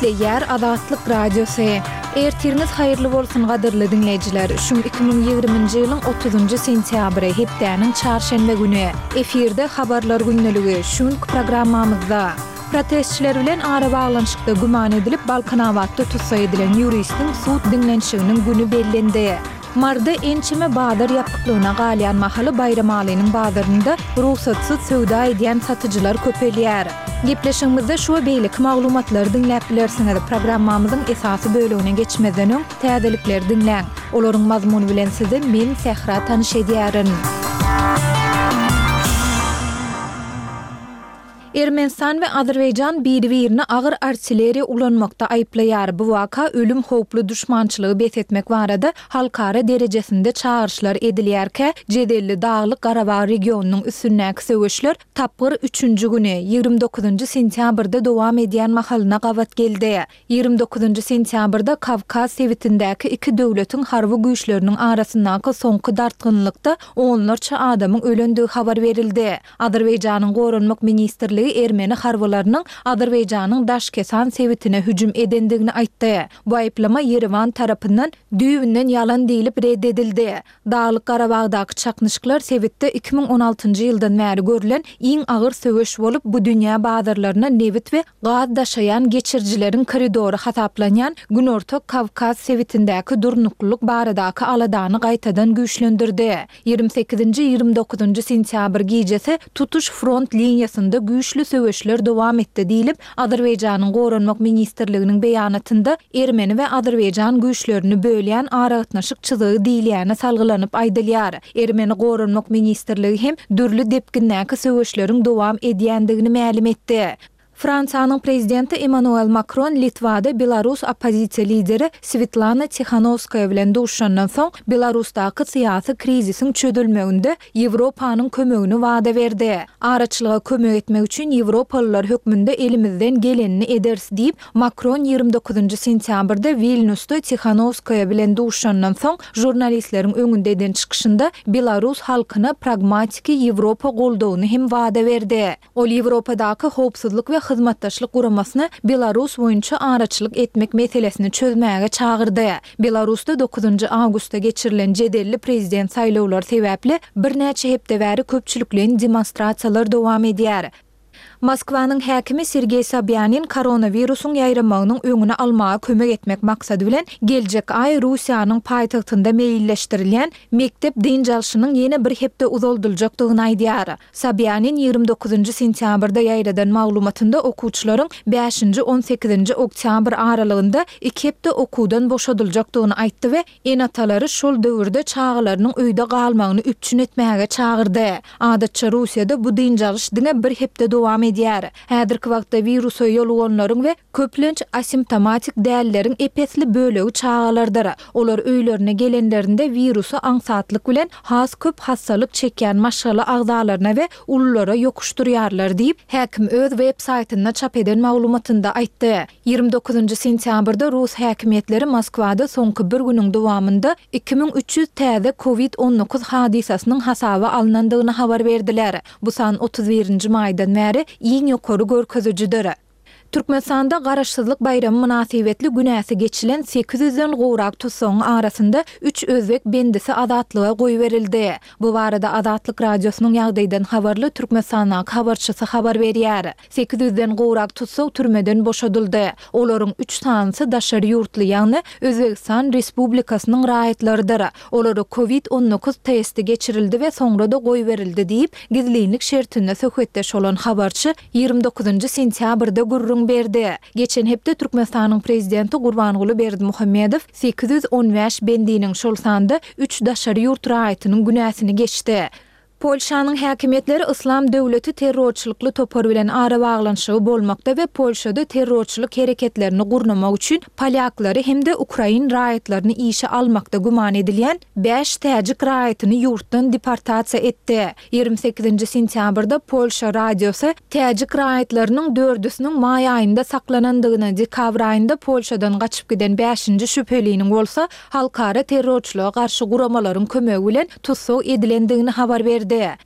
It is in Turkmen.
Gepleýär Azatlyk Radiosy. Ertiriňiz haýyrly bolsun gadyrly diňleýjiler! Şu 2020-nji ýylyň 30-njy sentýabry, hepdäniň çarşenbe güni. Efirde Habarlar gündeligi, şu günki programmamyzda. Protestçiler bilen arabaglanyşykda güman edilip Balkanabatda tussag edilen ýuristiň sud diňlenişiginiň güni bellendi. Maryda ençeme bazar ýapyklygyna galýan mahaly Baýramalynyň bazarynda rugsatsyz söwda edýän satyjylar köpelýär. Gepleşigimizde şu we beýleki maglumatlary diňläp bilersiňiz. Programmamyzyň esasy bölegine geçmezden öň, täzelikleri diňläň. Olaryň mazmuny bilen sizi men, Sähra tanyş edýärin. Ermenistan we Azerbaýjan biri-birini agyr artilleriýa ulanmakda aýyplaýar. Bu waka ölüm howply duşmançylygy bes etmek barada halkara derejesinde çagyryşlar edilýärkä, jedelli Daglyk-Garabag regionynyň üstündäki söweşler tapgyr üçünji güni, 29-njy sentýabrda dowam edýän mahalyna gabat geldi. 29-njy sentýabrda Kawkaz sebitindäki iki döwletiň harby güýçleriniň arasyndaky soňky dartgynlykda onlarça adamyň ölendigi habar berildi. Azerbaýjanyň Goranmak ministrligi ermeni harbylarynyň Azerbaýjanyň Daşkesan sebitine hüjüm edendigini aýtdy. Bu aýyplama Ýerewan tarapyndan düýbünden ýalan diýlip red edildi. Daglyk-Garabagdaky çaknyşyklar sebitde 2016-njy ýyldan bäri görlen iň agyr söweş bolup, bu dünýä bazarlaryna nebit we gaz daşaýan geçirijileriň koridory hasaplanýan Günorta Kawkaz sebitindäki durnuklylyk baradaky aladany gaýtadan güýçlendirdi. 28-nji, 29-njy sentýabr gijesi tutuş front liniýasynda güýçli söweşler dowam etdi diýlip, Azerbaýjanyň Goranmak ministrliginiň beýanatynda ermeni we azerbaýjan güýçlerini bölýän aragatnaşyk çyzygy diýilýäne salgylanyp aýdylýar. Ermeni Goranmak ministrligi hem dürli depgindäki söweşleriň dowam edýändigini mälim etdi. Fransiýanyň prezidenti Emmanuel Makron Litwada belarus oppozisiýa lideri Swetlana Tihanowskaýa bilen duşuşandan soň, Belarusdaky syýasy krizisiň çözülmeginde Ýewropanyň kömegini wada berdi. Araçylyga kömek etmek üçin ýewropalylar hökmünde elimizden gelenini ederis diýip, Makron 29-njy sentýabrda Wilnýusda Tihanowskaýa bilen duşuşandan soň žurnalistleriň öňünde eden çykyşynda belarus halkyna pragmatiki Ýewropa goldawyny hem wada berdi. Ol Ýewropadaky Howpsuzlyk we Hyzmatdaşlyk Guramasyny Belarus boýunça araçylyk etmek meselesini çözmäge çagyrdy. Belarusda dokuzynjy awgustda geçirilen jedelli prezident saýlawlary sebäpli birnäçe hepde bäri köpçülikleýin demonstrasiýalar dowam edýär. Moskwanyň häkimi Sergeý Sobýanin koronawirusyň ýaýramagynyň öňüni almaga kömek etmek maksady bilen geljek aý Russiýanyň paýtagtynda meýilleşdirilýän mekdep dynç alşynyň ýene bir hepde uzaldyljakdygyny aýdýar. Sobýanin 29-njy sentýabrda ýaýradan maglumatynda okuwçylaryň bäşinji, on sekizinji oktýabr aralygynda iki hepde okuwdan boşadyljakdygyny aýtdy we ene-atalary şol döwürde çagalarynyň öýde galmagyny üpjün etmäge çagyrdy. Adatça Russiýada bu dynç alyş diňe bir hepde dowam edýär. Häzirki wagtda wirusa ýoluganlaryň we köplenç asimptomatik dälleriň ep-esli bölegi çagalardyr. Olar öýlerine gelenlerinde wirusy aňsatlyk bilen has köp hassalyk çekýän maşgala agzalaryna we ululara ýokuşdyrýarlar diýip, häkim öz web saýtynda çap eden maglumatynda aýtdy. 29-njy sentýabrda rus häkimiýetleri Moskwada soňky bir günüň dowamynda 2300 täze covid 19 hadysasynyň hasaba alnandygyny habar berdiler. Bu san 31-nji maýdan bäri iň ýokary görkezijidir. Türkmenistanda Garaşsyzlyk baýramy mynasybetli günäsi geçilen sekiz ýüzden gowrak tussagyň arasynda üç özbek bendisi azatlyga goýberildi. Bu barada Azatlyk Radiosynyň ýagdaýdan habarly Türkmenistandaky habarçysy habar berýär. Sekiz ýüzden gowrak tussag türmeden boşadyldy. Olaryň üç sanysy daşary ýurtly, ýagny Özbegistan Respublikasynyň raýatlarydyr. Olara covid 19 testi geçirildi we soňra-da goýberildi diýip, gizlinlik şertinde söhbetdeş bolan habarçy 29-njy sentýabrda gürrüň berdi. Geçen hepde Türkmenistanyň Prezidenti Gurbanguly Berdimuhamedow 815 bendiniň, şol sanda üç daşary ýurt raýatynyň günäsini geçdi. Polşanyň häkimiýetleri Yslam döwleti terrorçylykly topar bilen arabaglanyşygy bolmakda we Polşada terrorçylyk hereketlerini gurnamak üçin polýaklary hem-de ukrain raýatlaryny işe almakda güman edilýän bäş täjik raýatyny ýurtdan deportasiýa etdi. 28-nji sentýabrda Polşa radiosy täjik raýatlarynyň dördüsiniň maý aýynda saklanandygyny, dekabr aýynda Polşadan gaçyp giden bäşinji şübheliniň bolsa halkara terrorçylyga garşy guramalaryň kömegi bilen tussag edilendigini habar berdi.